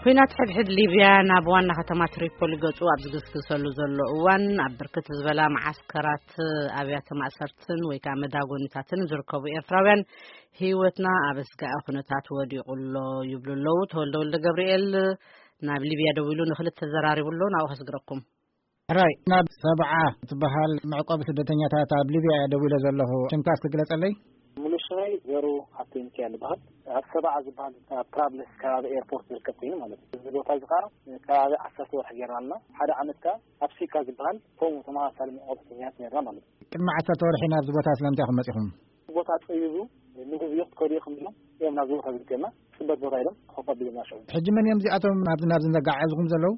ኩናት ሕድሕድ ሊብያ ናብ ዋና ከተማ ትሪፖሊ ገጹ ኣብ ዝግስግሰሉ ዘሎ እዋን፣ ኣብ ብርክት ዝበላ መዓስከራት ኣብያተ ማእሰርትን ወይ ከዓ መዳጎኒታትን ዝርከቡ ኤርትራውያን፣ ህይወትና ኣብ ኣስጋኢ ኩነታት ወዲቑ ኣሎ ይብሉ ኣለዉ። ተወልደ ወልደ ገብርኤል ናብ ሊብያ ደዊሉ ንክልተ ተዘራሪቡ ኣሎ። ናብኡ ከስግረኩም። ሕራይ፣ ናብ ሰብዓ ትበሃል መዕቆቢ ስደተኛታት ኣብ ሊብያ እየ ደዊለ ዘለኹ። ሽምካ እስኪ ግለጸለይ። ሙሉ ሽመይ ዘሩ ሃብተ ሚካኤል ይበሃል። ኣብ ሰብዓ ዝበሃል ኣብ ትራብልስ ከባቢ ኤርፖርት ዝርከብ ኮይኑ ማለት እዩ። እዚ ቦታ እዚ ከዓ ከባቢ ዓሰርተ ወርሒ ጌርና ኣለና። ሓደ ዓመት ከዓ ኣብ ሲካ ዝበሃል ከምኡ ተመሳሳሊ መዕቆቢ ስደተኛታት ነርና ማለት እዩ። ቅድሚ ዓሰርተ ወርሒ ናብዚ ቦታ ስለምንታይ ኢኹም መጺኹም? ቦታ ጸቢቡ፣ ንግዚኡ ክትከዱ ኢኹም ኢሎም እዮም ናብዚ ቦታ ዝልክየና። ጽበት ቦታ ኢሎም ኮፍ ኣቢሎምና ሽዑ። ሕጂ መን እዮም እዚኣቶም ናብዚ፣ ናብዚ ዘጋዓዕዝኹም ዘለዉ?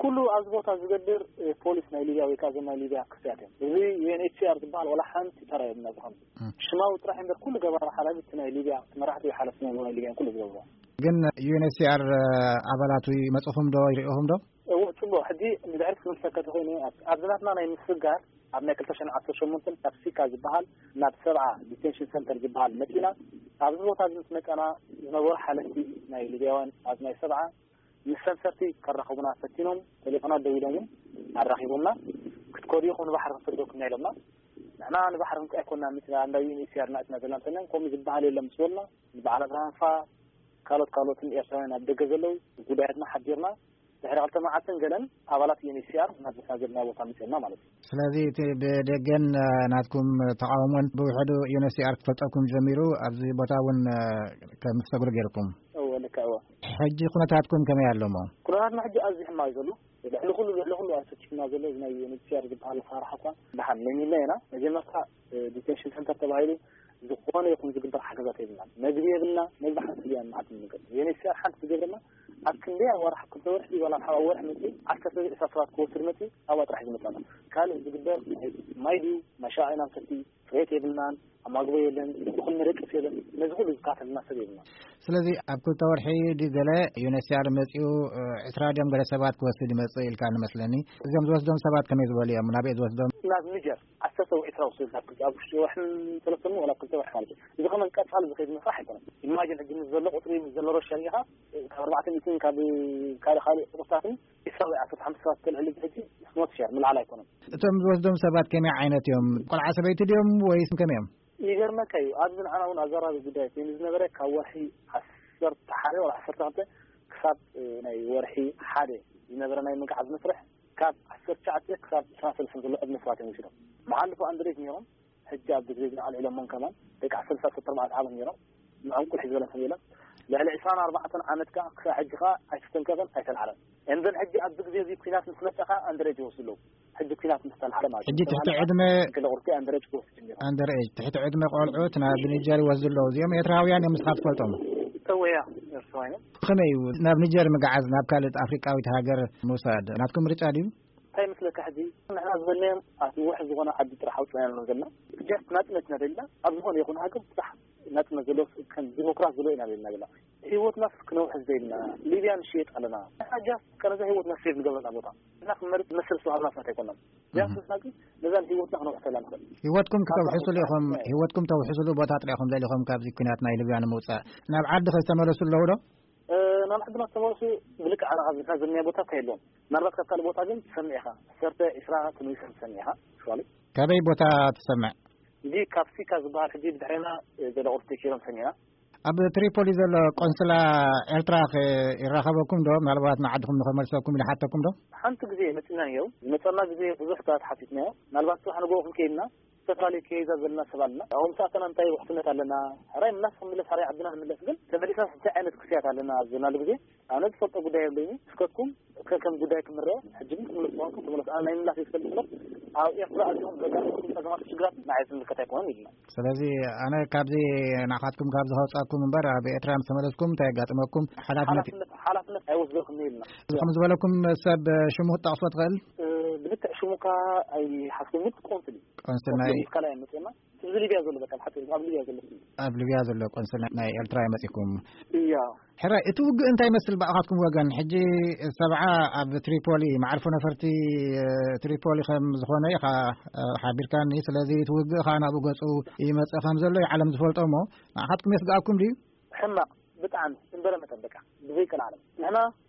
ኩሉ ኣብዚ ቦታ ዝገብር፣ እ፣ ፖሊስ ናይ ሊብያ ወይ ከዓ እዞም ናይ ሊብያ ክፍያት እዮም። እዚ ዩ ኤን ኤች ሲ ኣር ዝበሃል ዋላ ሓንቲ ተራ የብልና ዝኸውን። እም። ሽማዊ ጥራሕ እምበር ኩሉ ገባሪ ሓላፊ እቲ ናይ ሊብያ፣ እቲ መራሕቲ ወይ ሓለፍቲ ናይ ሊብያ ኩሉ ዝገብሮ። ግን ዩ ኤን ኤች ሲ ኣር ኣባላቱ ይመጽኹም ዶ፣ ይርእኹም ዶ? እዎ፣ ጽቡቕ። ሕጂ ንድሕሪት ክምልሰካ ተኾይነ፣ ኣብ፣ ኣብዚ ናትና ናይ ምስግጋር፣ ኣብ ናይ ክልተ ሽሕን ዓሰርተ ሸሞንተን ካብ ሲካ ዝበሃል ናብ ሰብዓ ዲቴንሽን ሰንተር ዝበሃል መጺና። ኣብዚ ቦታ እዚ ምስ መጻና ዝነበሩ ሓለፍቲ ናይ ሊብያውያን ኣብ ናይ ሰብዓ ምስ ሰንሰርቲ ከራኽቡና ፈቲኖም፣ ቴሌፎናት ደዊሎም እውን ኣራኺቦምና። ክትከዱ ኢኹም ንባሕሪ ክንሰደኩም ኢና ኢሎምና። ንሕና ንባሕሪ ክንከ ኣይኮንና መጺና፣ እንዳ ዩ ኤን ኤች ሲ ኣር ናትና ዘለና እንተና፣ ከምኡ ዝበሃል የለን ምስ በሉና፣ ንበዓል ኣብርሃም ፋ፣ ካልኦት ካልኦትን ኤርትራውያን ኣብ ደገ ዘለዉ ጉዳያትና ሓቢርና፣ ድሕሪ ክልተ መዓልትን ገለን ኣባላት ዩ ኤን ኤች ሲ ኣር ናብ ዘለና ዘለና ቦታ መጺኦምና ማለት እዩ። ስለዚ እቲ ብደገን፣ እ፣ ናትኩም ተቓውሞን ብውሕዱ ዩ ኤን ኤች ሲ ኣር ክፈልጠኩም ጀሚሩ፣ ኣብዚ ቦታ እውን፣ እ፣ ከም ትሰግሩ ገይርኩም። እወ፣ ልክዕ፣ እወ። ሕጂ ኩነታትኩም ከመይ ኣሎ እሞ? ኩነታትና ሕጂ ኣዝዩ ሕማቕ እዩ ዘሎ። ልዕሊ ኩሉ፣ ልዕሊ ኩሉ ኣሰኪፍና ዘሎ እዚ ናይ ዩ ኤን ኤች ሲ ኣር ዝበሃል ኣሰራርሓ እኳ ደሓን ነሚና ኢና። መጀመርታ፣ እ፣ ዲቴንሽን ሰንተር ተባሂሉ ዝኾነ ይኹን ዝግበር ሓገዛት የብልናን። መግቢ የብልና፣ መግቢ ሓንቲ ድያ መዓልቲ ንመገብ። ዩ ኤን ኤች ሲ ኣር ሓንቲ ዝገብረና ኣብ ክንደይ ወርሒ፣ ክልተ ወርሒ ዋላ ኣብ ወርሒ መጺኡ ዓሰርተ ዕስራ ሰባት ክወስድ መጺኡ ኣብኣ ጥራሕ ዝመጻና። ካልእ ዝግበር ማይ ድዩ፣ ማይ ሻሂ ኢና ንሰቲ፣ ጽሬት የብልናን፣ ኣማግቦ የለን፣ ይኹን ንደቅስ የለን። ነዚ ኩሉ ዝካፈልና ሰብ የብልናን። ስለዚ ኣብ ክልተ ወርሒ ድዩ ገለ ዩ ኤን ኤች ሲ ኣር መጺኡ፣ እ፣ ዕስራ ድዮም ገለ ሰባት ክወስድ ይመጽእ ኢልካ ንመስለኒ። እዚኦም ዝወስዶም ሰባት ከመይ ዝበሉ እዮም? ናበይ ዝወስዶም? ናብ ኒጀር። ዓሰርተ ወይ ዕስራ ወስድ ኣብ ክልተ፣ ኣብ ውሽጢ ወርሕን ሰለስተን ወላ ክልተ ወርሒ ማለት እዩ። እዚ ከመን ቀጻሊ ዝኸይድ መስራሕ ኣይኮነን። ኢማጂን ሕጂ ምስ ዘሎ ቁጽሪ፣ ምስ ዘሎ ረብሻ ጌርካ፣ ካብ ኣርባዕተ ሚእትን ካብ ካልእ ካልእ ቁጽርታትን ዕስራ ወይ ዓሰርተ ሓሙሽተ ሰባት ከልዕል እዚ ሕጂ ስሞት ሸር ምልዓል ኣይኮነን። እቶም ዝወስዶም ሰባት ከመይ ዓይነት እዮም? ቆልዓ ሰበይቲ ድዮም ወይስ ከመይ እዮም? ይገርመካ እዩ፣ ኣብዚ ንዓና እውን ኣዘራቢ ጉዳይ ኮይኑ ዝነበረ ካብ ወርሒ ዓሰርተ ሓደ ወይ ዓሰርተ ክልተ ክሳብ፣ እ፣ ናይ ወርሒ ሓደ ዝነበረ ናይ ምግዓዝ መስርሕ ካብ ዓሰርተ ትሽዓተ ክሳብ ዕስራን ሰለስተን ዘሎ ዕድመ ሰባት እዮም ወሲዶም። መሓልፎ ኣንድሬጅ ነይሮም፣ ሕጂ ኣብ ግዜ ዝኣልዒሎሞም ከማን ደቂ ዓሰርተ ሰለስተ ኣርባዕተ ዓመት ነይሮም። ንዕንቁል ሒዝ በለን ሰብ የለን። ልዕሊ ዕስራን ኣርባዕተን ዓመት ከኣ ክሳብ ሕጂ ከኣ ኣይተስተንከፈን ኣይተልዓለን። እንደን ሕጂ ኣብዚ ግዜ እዚ ኲናት ምስ መጸ ከኣ ኣንድሬጅ ይወስዱ ኣለዉ። ሕጂ ኲናት ምስ ተልዓለ ማለት እዩ። ሕጂ ትሕቲ ዕድመ ገለ ቁርቲ ኣንድሬጅ ክወስድ ጀሚሩ። ኣንደር ኤጅ፣ ትሕቲ ዕድመ ቆልዑት ናብ ኒጀር ይወስዱ ኣለዉ። እዚኦም ኤርትራውያን እዮም፣ ንስኻ ትፈልጦም? እወ፣ እያ፣ ኤርትራውያን እዮም። ከመይ እዩ ናብ ኒጀር ምግዓዝ፣ ናብ ካልእ ኣፍሪቃዊት ሃገር ምውሳድ? ናትኩም ምርጫ ድዩ? እንታይ ይመስለካ፣ ሕጂ ንሕና ዝበልናዮም ኣብ ውሕ ዝኾነ ዓዲ ጥራሕ ኣውፅና ኣለና ዘለና። ጀስት ናፅነትና ደልና፣ ኣብ ዝኾነ ይኹን ሃገር ጥራሕ ናፅነት ዘለዎ፣ ከም ዲሞክራት ዘለዎ ኢና ደልና ዘለና። ህይወትናስ ክነውሕስ ዘይልና፣ ሊብያ ንሽየጥ ኣለና። ንሕና ጃስት ቀረዛ ህይወትና ሴቭ ንገብረላ ቦታ እና ክመርፅ መስል ዝተዋሃብና ሰባት ኣይኮናን። ቢያንስ ንሕና ግን ነዛን ህይወትና ክነውሕሰላ ንኽእል። ህይወትኩም ክተውሕሱሉ ኢኹም፣ ህይወትኩም ተውሕሱሉ ቦታ ጥራሕ ኢኹም ደሊኹም ካብዚ ኲናት ናይ ሊብያ ንምውፃእ። ናብ ዓዲ ከዝተመለሱ ኣለዉ ዶ? እ፣ ናብ ዓድና ዝተመለሱ ብልክዕ ኣነ ካብ ዝናዘብናዮ ቦታ እንታይ የለዎም። ምናልባት ካብ ካልእ ቦታ ግን ትሰምዕ ኢኻ። ዓሰርተ፣ ዕስራ ተመሊሶም ትሰምዕ ኢኻ። ሹዋሊ። ካበይ ቦታ ትሰምዕ? እንዲ ካብ ሲካ ዝበሃል ሕጂ ብድሕሬና፣ እ፣ ገለ ቁርሲ ተኪሮም ሰሚዕና። ኣብ ትሪፖሊ ዘሎ ቆንስላ ኤርትራ ከ ይራኸበኩም ዶ? ምናልባት ንዓድኹም ንኸመልሰኩም ኢሉ ሓተኩም ዶ? ሓንቲ ግዜ መጺና ነይሩ። ዝመጸና ግዜ ብዙሕ ሰባት ሓቲትናዮ። ምናልባት ጽባሕ ንግሆ ክንከይድና ዝተፈላለዩ ከይዛ ዘለና ሰብ ኣለና። ኣብኡ ምስ ኣተና እንታይ ውሕስነት ኣለና? ሕራይ ምላስ ክንምለስ፣ ሕራይ ዓድና ንምለስ። ግን ተመሊስና እንታይ ዓይነት ክስያት ኣለና ኣብ ዘናሉ ግዜ ኣነ ዝፈልጦ ጉዳይ የብለይን። እስከትኩም ከከም ጉዳይ ክምረዮ፣ ሕጂ ግን ክትምለሱ ተኾንኩም ተመለሱ። ኣነ ናይ ምላስ እየ ዝፈልጥ እምበር፣ ኣብ ኤርትራ ኣትኹም ዘጋጥመኩም ጸገማት ሽግራት ንዓይ ዝምልከት ኣይኮነን ኢልና። ስለዚ ኣነ ካብዚ ንዓኻትኩም ካብዚ ከውጻኩም እምበር፣ ኣብ ኤርትራ ምስ ተመለስኩም እንታይ የጋጥመኩም? ሓላፍነት ሓላፍነት፣ ሓላፍነት ኣይወስደልኩምን ኢልና። እዚ ከም ዝበለኩም ሰብ ሽሙ ክትጠቕሶ ትኽእል? እ፣ ብልክዕ ሽሙ እኳ ኣይሓዝኩን፣ ግን ቆንስል እዩ። ቆንስል ናይ ቆንስል ምስ ካልኣይ መጽና። እዚ ሊብያ ዘሎ በቃ፣ ብሓቂ ኣብ ሊብያ ዘሎ ስም። ኣብ ሊብያ ዘሎ ቆንስል ናይ ኤርትራ እዩ መጺኩም። እያ። ሕራይ፣ እቲ ውግእ እንታይ ይመስል ብኣኻትኩም ወገን? ሕጂ ሰብዓ ኣብ ትሪፖሊ፣ መዓርፎ ነፈርቲ፣ እ፣ ትሪፖሊ ከም ዝኾነ ኢኻ፣ እ፣ ሓቢርካኒ። ስለዚ እቲ ውግእ ኸኣ ናብኡ ገጹ ይመጽእ ከም ዘሎ እዩ ዓለም ዝፈልጦ እሞ፣ ንኣኻትኩም የስግኣኩም ድዩ? ሕማቕ፣ ብጣዕሚ፣ እምበረ መጠን በቃ፣ ብዘይቀልዓለም። ንሕና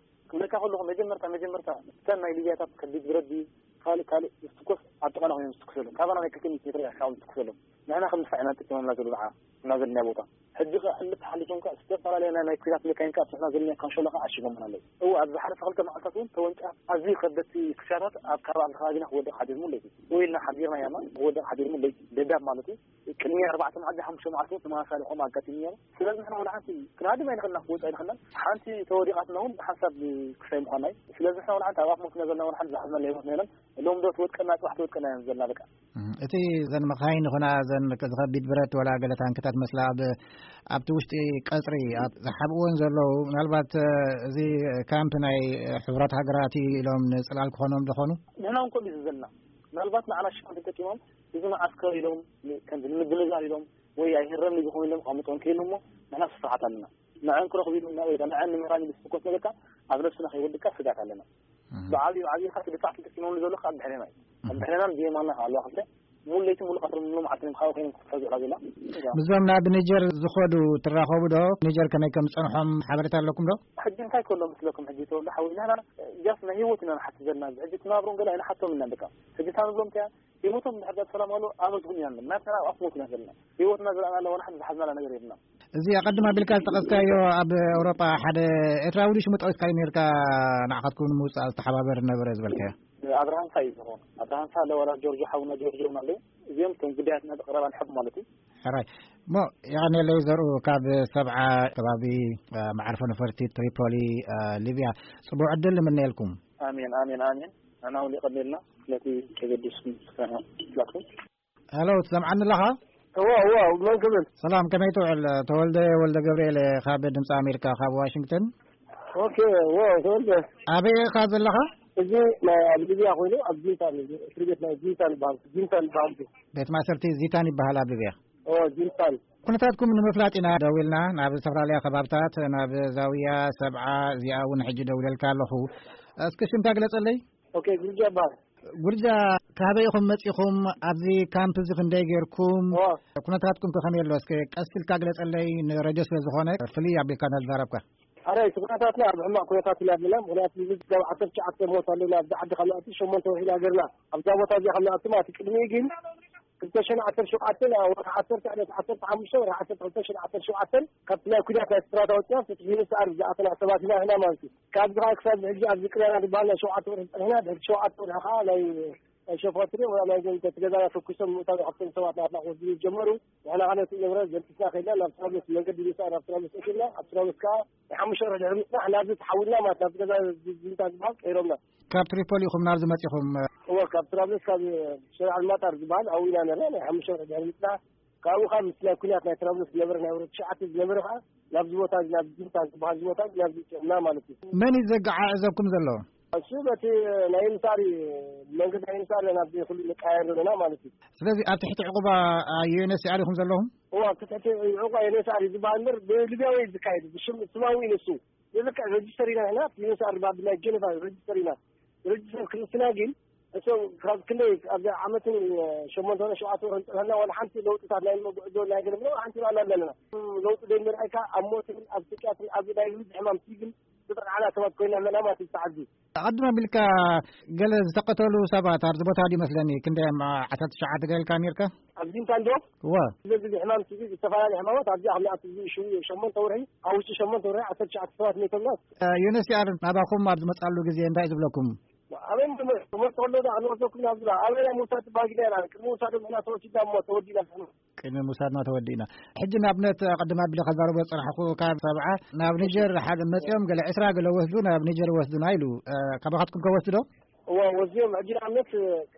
ክብለካ ከለኹ፣ መጀመርታ መጀመርታ እተን ናይ ሊብያታት ከቢድ ብረት ድዩ ካልእ ካልእ ዝትኮስ፣ ኣብ ጥቓና ኮይኖም ዝትኩሰሎም፣ ካባና ናይ ክልተ ሚእቲ ሜትሮ ርሒቕካ ዝትኩሰሎም፣ ንሕና ከም ድፋዕ ኢና ንጥቀመላ ዘሎ ንዓ እና ዘለና ቦታ። ሕጂ ከ ሕልፍ ሓሊፎም ከ ዝተፈላለያ ናይ ናይ ኩናት መካይን ከ ኣብቲ ንሕና ዘለና ካንሾሎ ከ ዓሺጎምና ኣለዉ። እወ፣ ኣብ ዝሓለፈ ክልተ መዓልታት እውን ተወንጫፍ ኣዝዩ ከበድቲ ክሻታት ኣብ ከባቢ፣ ኣብ ከባቢና ክወድቕ ሓዲሩ፣ ለይቲ ወይ ኢልና ሓዲርና ያማ ክወድቕ ሓዲሩ፣ ለይቲ ደብዳብ ማለት እዩ። ቅድሚ ኣርባዕተ መዓልቲ፣ ሓሙሽተ መዓልቲ እውን ተመሳሳሊ ከምኡ ኣጋጢሙ ነይሩ። ስለዚ ንሕና ወላ ሓንቲ ክንሃድም ኣይንኽእልና፣ ክወጽእ ኣይንኽእልና። ሓንቲ ተወዲቓትና እውን ሓንሳብ ክሳይ ምዃና እዩ። ስለዚ ንሕና ወላ ሓንቲ ኣብ ኣፍ ሞትና ዘለና ወላ ሓንቲ ዝሓዝናላ ህይወትና የለን። ሎም ዶ ትወድቀና፣ ጽባሕ ትወድቀና እየን ዘለና በቃ። እም፣ እቲ ዘን መኻይን ይኹና ዘን ዝኸቢድ ብረት ወላ ገለ ታንክታት መስላ ኣብ፣ ኣብቲ ውሽጢ ቀጽሪ ኣብ ዝሓብእወን ዘለዉ፣ ምናልባት፣ እ፣ እዚ ካምፕ ናይ ሕቡራት ሃገራት እዩ ኢሎም ንጽላል ክኾኖም ዝኾኑ? ንሕና እውን ከምኡ እዩ ዘለና። ምናልባት ንዓና ሽፋን ተጠቂሞም፣ እዚ መዓስከር ኢሎም፣ ከምዚ ንምድንጋር ኢሎም፣ ወይ ኣይህረምን እዩ ዝኾኑ ኢሎም ኣቐምጦም ከይሉ እሞ፣ ንሕና ስፍሓት ኣለና። ንዐን ክረኽቡ ኢሉ ወይ ንዐን ንምራን ኢሉ ዝፍኮስ ነገርካ ኣብ ነብስና ከይወድቅካ ስጋት ኣለና። እም። ብዓብዩ፣ ብዓብዩ ኻቲ ድፋዕ ተጠቂሞም ዘለዉ ኣብ ድሕሬና እዩ። ኣብ ድሕሬናን ብየማንና ኣለዋ ክልተ። ሙሉ ለይቲ ሙሉ ቀትሪ ሙሉ መዓልቲ እዮም ካብኡ ኮይኖም ክፍትሑ ዝውዕላ ዘለዋ። ምስዞም ናብ ኒጀር ዝኸዱ ትራኸቡ ዶ? ኒጀር ከመይ ከም ዝጸንሖም ሓበሬታ ኣለኩም ዶ? ሕጂ እንታይ ከሎ መስለኩም፣ ሕጂ ተወልደ ሓወይ፣ ንሕና ጃስ ናይ ህይወት ኢና ንሓስብ ዘለና። ሕጂ ትናብሮን ገለ ኣይንሓቶም ኢና በቃ። ሕጂ እታ ንብሎም እንታይ እያ? ህይወቶም እንድሕር ዳኣ ሰላም ኣሎ፣ ኣመስግኑ ኢና ንብል። ናትና ኣብ ኣፍ ሞት ኢና ዘለና። ህይወትና ዝረኣናላ ዋላ ሓንቲ ዝሓዝናላ ነገር የብልና። እዚ ኣቐድም ኣቢልካ ዝጠቐስካዮ ኣብ ኤውሮጳ ሓደ ኤርትራዊ ድዩ ሽሙ ጠቒስካዮ ነርካ፣ ንዓኻትኩም ንምውጻእ ዝተሓባበር ነበረ ዝበልካዮ? ኣብርሃም ፋይ እዩ ዝኸውን። ኣብርሃም ፋ ኣለዋላ ጆርጆ ሓውና ጆርጆ እውን ኣለዉ። እዚኦም እቶም ጉዳያትና ብቐረባ ንሕብ ማለት እዩ። ሕራይ። እሞ የቐንየለይ ዘርኡ ካብ ሰብዓ ከባቢ፣ እ፣ መዓርፎ ነፈርቲ ትሪፖሊ፣ እ፣ ሊብያ። ጽቡቕ ዕድል ንምነየልኩም። ኣሜን፣ ኣሜን፣ ኣሜን። ንሕና እውን የቐንየልና ስለቲ ተገዲስኩም ስራሕና። ሄሎ፣ ትሰምዓኒ ኣለኻ? እወ፣ እወ፣ መን ክብል? ሰላም፣ ከመይ ትውዕል? ተወልደ ወልደ ገብርኤል እየ፣ ካብ ድምፂ ኣሜሪካ፣ ካብ ዋሽንግተን። ኦኬ፣ እወ፣ ተወልደ። ኣበይ ኢኻ ዘለኻ? እዚ ናይ ኣብ ሊብያ ኮይኑ፣ ኣብ ዚንታን እዩ። እስሪ ቤት ናይ ዚንታን ይበሃል። ዚንታን ይበሃል። ቤት ማእሰርቲ ዚታን ይበሃል ኣብ ሊብያ። እወ፣ ዚንታን። ኩነታትኩም ንምፍላጥ ኢና ደዊልና፣ ናብ ዝተፈላለያ ከባብታት፣ ናብ ዛውያ፣ ሰብዓ፣ እዚኣ እውን ሕጂ ደውለልካ ኣለኹ። እስኪ ሽምካ ግለጸለይ። ኦኬ፣ ጉርጃ ይበሃል። ጉርጃ፣ ካበይ ኢኹም መጺኹም? ኣብዚ ካምፕ እዚ ክንደይ ጌርኩም? ኦ። ኩነታትኩም ከ ከመይ ኣሎ? እስከ ቀስ ኢልካ ግለጸለይ፣ ንረድዮ ስለ ዝኾነ ፍልይ ኣቢልካ እንዳተዛረብካ። ኣረ፣ እቲ ኩነታትና ኣብ ሕማቕ ኩነታት ኢና ዘለና። ምኽንያቱ፣ እዚ ካብ ዓሰርተ ትሽዓተ ሞት ኣለና። ኣብዚ ዓዲ ካብ ንኣቱ ሸሞንተ ወርሒ ኢና ጌርና። ኣብዛ ቦታ እዚኣ ካብ ንኣቱ ማለት እዩ። ቅድሚኡ ግን ክልተ ሽሕን ዓሰርተ ሸውዓተን ኣብ ወርሒ ዓሰርተ ዕለት ዓሰርተ ሓሙሽተ ወርሒ ዓሰርተ ክልተ ሽሕን ዓሰርተ ሸውዓተን ካብቲ ናይ ኩናት ናይ ኤርትራ ተወፂና፣ ፍትሒ ንስኣር ዝኣተና ሰባት ኢና፣ ኢና ማለት እዩ። ካብዚ ከዓ ክሳብ ሕጂ ኣብዚ ቅርያና ዝበሃል ናይ ሸውዓተ ወርሒ ፀኒሕና፣ ድሕሪ ሸውዓተ ወርሒ ከዓ ናይ፣ ናይ ሸፋትሪ ወይ ናይ ገንዘብ ገዛና ተኩሶም ምእታው ካብቶም ሰባት ናትና ክወስዱ ጀመሩ። ንሕና ከዓ ነቲ ንብረት ዘልቂስና ከይድና ናብ ትራብሎስ መንገዲ ምሳእ ናብ ትራብሎስ ኣቲና፣ ኣብ ትራብሎስ ከዓ ናይ ሓሙሽተ ወርሒ ድሕሪ ምፅናሕ ናብዚ ተሓዊልና ማለት ናብዚ ገዛ ዚንታ ዝበሃል ቀይሮምና። ካብ ትሪፖሊ ኢኹም ናብዚ መፂኹም? እወ፣ ካብ ትራብሎስ ካብ ሸሪዓ ኣልማጣር ዝበሃል ኣብኡ ኢና ነርና። ናይ ሓሙሽተ ወርሒ ድሕሪ ምፅናሕ ካብኡ ካብ ምስ ናይ ኩናት ናይ ትራብሎስ ዝነበረ ናይ ወረዳ ትሽዓተ ዝነበረ ከዓ ናብዚ ቦታ እዚ፣ ናብ ዚንታ ዝበሃል እዚ ቦታ እዚ ናብዚ ፅዕና ማለት እዩ። መን እዩ ዘገዓዕዘኩም ዘሎ? እሱ በቲ ናይ ኤምሳሪ፣ መንገዲ ናይ ኤምሳሪ ናብዚ ኩሉ ንቀያየር ዘለና ማለት እዩ። ስለዚ ኣብ ትሕቲ ዕቑባ ዩ ኤን ኤች ሲ ኣር ኢኹም ዘለኹም? እዋ፣ ኣብ ትሕቲ ዕቑባ ዩ ኤን ኤች ሲ ኣር እዩ ዝበሃል እምበር ብሊብያዊ እዩ ዝካየድ። ብሽም ስማዊ እዩ ንሱ። ብልክዕ ረጅስተር ኢና ንሕና፣ ዩ ኤን ኤች ሲ ኣር ባ-፣ ብናይ ጀነቫ ረጅስተር ኢና። ረጅስተር ክርስትና ግን እቶም ካብ ክንደይ፣ ኣብ ዓመትን ሸሞንተ ወርሒ ሸውዓተ ወርሒ ዝጸንሐና ዋላ ሓንቲ ለውጥታት ናይ መጉዕዞ ናይ ገለ ምንም ሓንቲ ርኣና ኣለና። ለውጢ ዘይምርኣይካ ኣብ ሞትን ኣብ ስቅያትን ኣብ ናይ ልቢ ሕማም ሲግን ዝጠቕዓና ሰባት ኮይና ኣለና ማለት እዩ። ተዓዚ ኣቐድም ኣቢልካ ገለ ዝተቐተሉ ሰባት ኣብዚ ቦታ ድዩ መስለኒ፣ ክንደይ፣ ዓሰርተ ትሽዓተ ገለ ኢልካ ነርካ? ኣብዚ እንታይ እንዶ? እወ። ስለዚ ሕማም ሲቪል ዝተፈላለዩ ሕማማት ኣብዚ ኣብ ንኣት እዚ ሽው ሸሞንተ ወርሒ፣ ኣብ ውሽጢ ሸሞንተ ወርሒ ዓሰርተ ትሽዓተ ሰባት ሞይቶምና። ዩ ኤን ኤች ሲ ኣር ናባኹም ኣብ ዝመጻሉ ግዜ እንታይ ዝብለኩም? ኣበይ ትምህርቲ ከሎ ዳ ክንወስደኩም ናብ ዝብላ፣ ኣበይ ናይ ምውሳድ ባጊዳ ኢና፣ ቅድሚ ምውሳዶም ኢና ተወሲድና እሞ ተወዲእና። ቅድሚ ምውሳድና ተወዲእና። ሕጂ ንኣብነት ቅድም ኣቢለ ከዛርቦ ዝጸናሕኩ ካብ ሰብዓ ናብ ኒጀር ሓደ መጺኦም ገለ ዕስራ ገለ ወስዱ ናብ ኒጀር ወስዱና ኢሉ፣ እ፣ ካባኻትኩም ከ ወስዱ ዶ? እዋ፣ ወስድዮም። ሕጂ ንኣብነት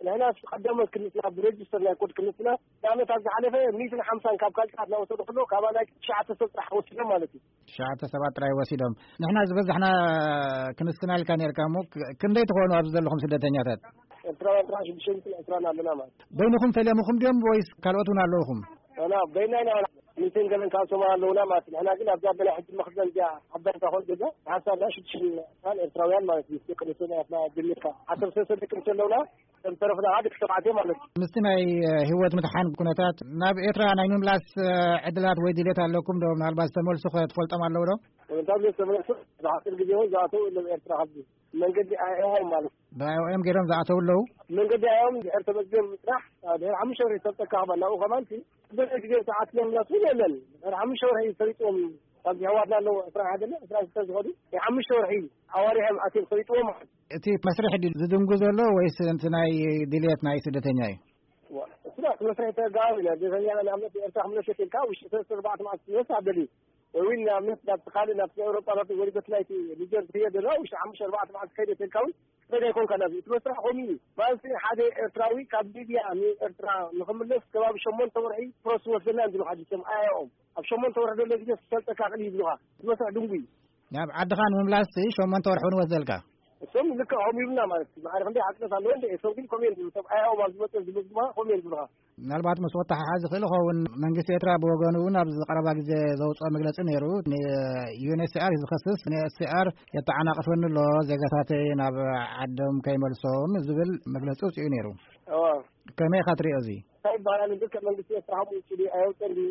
ንሕና ቀዳሞት ክንስና ብሬጅስተር ናይ ኮድ ክንስና ንኣብነት ኣብ ዝሓለፈ ሚእትን ሓምሳን ካብ ካልታት እናወሰዱ ከለዉ ካባና ትሽዓተ ሰብ ጥራሕ ወሲዶም ማለት እዩ። ትሽዓተ ሰባት ጥራይ ወሲዶም። ንሕና ዝበዛሕና ክንስና ኢልካ ነርካ እሞ ክ-፣ ክንደይ ትኾኑ ኣብዚ ዘለኹም ስደተኛታት? ኤርትራውያን ጥራሕ ሽዱሽተ ሚእትን ዕስራን ኣለና ማለት እዩ። በይንኹም ፈሊምኹም ድዮም ወይስ ካልኦት እውን ኣለውኹም? ኣና በይና ኢና። ሚእትን ገለን ካብ ሶማል ኣለውና ማለት እዩ። ንሕና ግን ኣብዛ በላይ ሕጂ መኽዘን እዚኣ ዓባይ እንታይ ኮን ገዛ ሓሳብና ሽዱሽተ ኤርትራውያን ማለት እዩ። ደቂ ኣንስትዮ ናትና ጀሚርካ ዓሰርተ ሰለስተ ደቂ ኣንስትዮ ኣለውና። እቶም ተረፍና ከዓ ደቂ ተባዕትዮ ማለት እዩ። ምስቲ ናይ ህይወት ምድሓን ኩነታት ናብ ኤርትራ ናይ ምምላስ ዕድላት ወይ ድሌት ኣለኩም ዶ? ምናልባት ዝተመልሱ ክትፈልጦም ኣለዉ ዶ? እምንታብ ዝተመለሱ ብሓፂር ግዜ እውን ዝኣተው ኣለዉ ኤርትራ። ካብዚ መንገዲ ኣይኦም ማለት እዩ። ብኣይኦም ገይሮም ዝኣተው ኣለዉ? መንገዲ ኣይኦም ድሕር ተመዝገብ ምፅራሕ ድሕር ሓሙሽተ ወርሒ ተጠካ ክባል ናብኡ ከማን ሲ ዝበለ ግዜ ሰዓት ለምናት እውን የለን። ድሕር ሓሙሽተ ወርሒ ፈሪጥዎም ካብዚ ኣሕዋትና ኣለዉ ዕስራ ሓደ ዕስራ ሽተ ዝኸዱ ናይ ሓሙሽተ ወርሒ ኣዋሪሖም ኣትዮም ፈሪጥዎም ማለት እዩ። እቲ መስርሕ ድዩ ዝድንጉ ዘሎ ወይስ እቲ ናይ ድልየት ናይ ስደተኛ እዩ? እሱዳ እቲ መስርሕ ተጋባብ ኢና። ስደተኛ ንኣብነት ኤርትራ ክምለስ ኢልካ ውሽጢ ሰለስተ ኣርባዕተ መዓልቲ ክመልስ ኣደልዩ። ወይ እውን ንኣብነት ናብ ካልእ ናብ ኤውሮጳ ናብ ወሪዶት ናይቲ ኒጀር ዝኽየድ ዘሎ ውሽጢ ሓሙሽተ ኣርባዕተ መዓልቲ ከይደ ተልካ እውን ትኸይድ ኣይኮንካ ናብዚ። እቲ መስርሕ ከምኡ እዩ። ማለት ሓደ ኤርትራዊ ካብ ሊብያ ንኤርትራ ንኽምለስ ከባቢ ሸሞንተ ወርሒ ፕሮስ ወስደና እንድሉ ሓዲ ሰም ኣያኦም ኣብ ሸሞንተ ወርሒ ዘሎ ግዜ ክሰልጠካ ክእል ይብሉኻ። እቲ መስርሕ ድንጉ እዩ። ናብ ዓድኻ ንምምላስ ሸሞንተ ወርሒ እውን ወስደልካ? እሶም ልክዕ ከምኡ ይብሉና ማለት እዩ። ማዕረ ክንደይ ሓቅነት ኣለዎ እንደ እሶም ግን ከምኡ እዮም ዝብሉ። ሰብ ኣያኦም ኣብ ዝመጽእ ዝምዝማ ከምኡ እዮም ዝብሉኻ። ምናልባት ምስ ወተሓሓዝ ይኽእል ይኸውን። መንግስቲ ኤርትራ ብወገኑ እውን ኣብዚ ቀረባ ግዜ ዘውፅኦ መግለፂ ነይሩ። ንዩኤንኤችሲኣር እዩ ዝኸስስ። ዩኤንኤችሲኣር የተዓናቕፈኒ ኣሎ፣ ዜጋታተይ ናብ ዓዶም ከይመልሶም ዝብል መግለፂ ውፅኡ ነይሩ። እዋ። ከመይ ኢኻ ትሪኦ እዚ? እንታይ ይበሃል? ኣነ ብልክዕ መንግስቲ ኤርትራ ከምኡ ውፅኡ ድዩ? ኣየውፅእን ድዩ?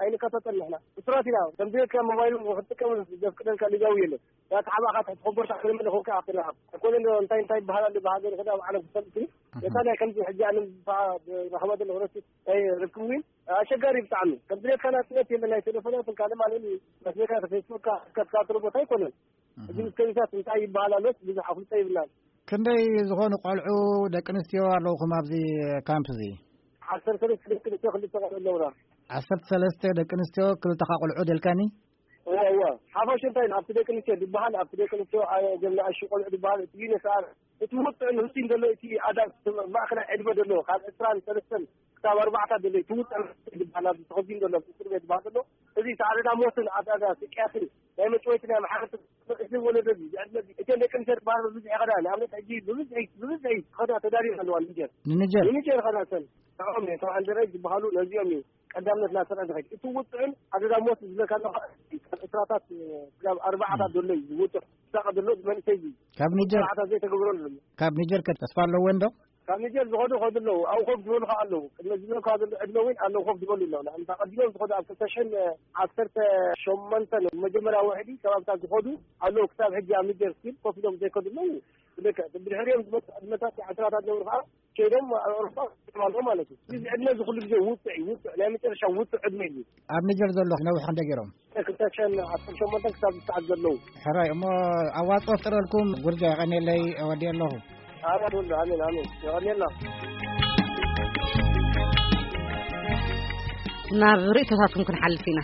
ኣይንከታተል ንሕና። እሱራት ኢና። ከም ዘይካ ሞባይል ክትጥቀም ዘፍቅደልካ ሊጋዊ የለን። ዳታ ሓባኻ ትሕቲ ኮቦርታ ክልምን ኾንካ ኣኽልና። ኣይኮነን ዶ እንታይ እንታይ ይበሃል ኣሎ ብሃገር ይኽእል ኣብ ዓለም ክፈልጥ እዩ። እታ ናይ ከምዚ ሕጂ ኣነ ብረኸባ ዘሎ ክረስት ናይ ርክብ እውን ኣሸጋሪ ብጣዕሚ። ከም ድሌትካ ናጽነት የለን ናይ ቴሌፎናትን ካልእ ማለት እዩ። መስለካ ፌስቡክካ ክትከታተሎ ቦታ ኣይኮነን። እዚ ምስ ከዚታት እንታይ ይበሃል ኣሎስ ብዙሕ ኣፍልጦ ይብልናን። ክንደይ ዝኾኑ ቆልዑ ደቂ ኣንስትዮ ኣለውኹም ኣብዚ ካምፕ እዚ? ዓሰርተ ሰለስተ ደቂ ኣንስትዮ ክልተ ቆልዑ ኣለውና። ዓሰርተ ሰለስተ ደቂ ኣንስትዮ ክልተኻ ቆልዑ ደልካኒ? እዋ እዋ። ሓፋሽ እንታይ ኣብቲ ደቂ ኣንስትዮ ዝበሃል ኣብቲ ደቂ ኣንስትዮ ጀምና ኣሽ ቆልዑ ዝበሃል እቲ ዩነስኣር እቲ ውጥዕ ንህልቲን ዘሎ እቲ ኣዳ ማእከላይ ዕድመ ዘሎ ካብ ዕስራን ሰለስተን ክሳብ ኣርባዕታ ዘሎ እቲ ውጥዕ ዝበሃል ኣብዚ ተኸዚን ዘሎ እስር ቤት ዝበሃል ዘሎ እዚ ሳዕሪ ዳሞትን ኣዳዳ ስቅያትን ናይ መጭወይቲ ናይ መሓረቲ እዚ ወለዶ እዚ ዕድመ እዚ እተን ደቂ ኣንስትዮ ዝበሃሉ ብብዝሒ ይኸዳ ንኣብነት ሕጂ ብብዝሒ ብብዝሒ ይኸዳ ተዳልየን ኣለዋ ንጀር ንኒጀር ንጀር ይኸዳ ሰን ንዕኦም እዮም ተባዕንደረ ዝበሃሉ ነዚኦም እዩ ቀዳምነት ናሰራ ዝኸድ እቲ ውጥዕን ኣደዳ ሞት ዝብለካ ኣለኻ ካብ ዕስራታት ክሳብ ኣርባዓታት ዘሎ እዩ ዝውጥዕ ዝሳቐ ዘሎ መንእሰይ እዩ ካብ ኒጀር ስርዓታት ዘይተገብረሉ ዘሎ ካብ ኒጀር ከ ተስፋ ኣለወን ዶ ካብ ኒጀር ዝኸዱ ኸዱ ኣለዉ ኣብኡ ኮፍ ዝበሉ ከዓ ኣለዉ ቅድሚ ዝብለካ ዘሎ ዕድመ እውን ኣለዉ ኮፍ ዝበሉ ኣለዉ ንኣብነት ኣቐዲሞም ዝኸዱ ኣብ ክልተ ሽሕን ዓሰርተ ሸሞንተን መጀመርያ ውሕዲ ከባብታት ዝኸዱ ኣለዉ ክሳብ ሕጂ ኣብ ኒጀር ስቲል ኮፍ ኢሎም ዘይከዱ ኣለዉ ብድሕሪኦም ዝመፁ ዕድመታት ዓስራታት ዝነብሩ ከዓ ከይዶም ኣብ ኣውሮፓ ኣለዉ ማለት እዩ እዚ ዕድመ እዚ ኩሉ ግዜ ውፅዕ እዩ ውፅዕ ናይ መጨረሻ ውፅዕ ዕድመ እዩ ኣብ ኒጀር ዘሎ ነዊሕ ክንደ ገይሮም ክልተ ሽሕን ዓሰርተ ሸሞንተን ክሳብ ዝሰዓት ዘለዉ ሕራይ እሞ ኣዋፅኦ ፍጥረልኩም ጉርጃ የቐኔለይ እወዲ ኣለኹ ኣሜን ወሉ ኣሜን ኣሜን የቐኔልና ናብ ርእቶታትኩም ክንሓልፍ ኢና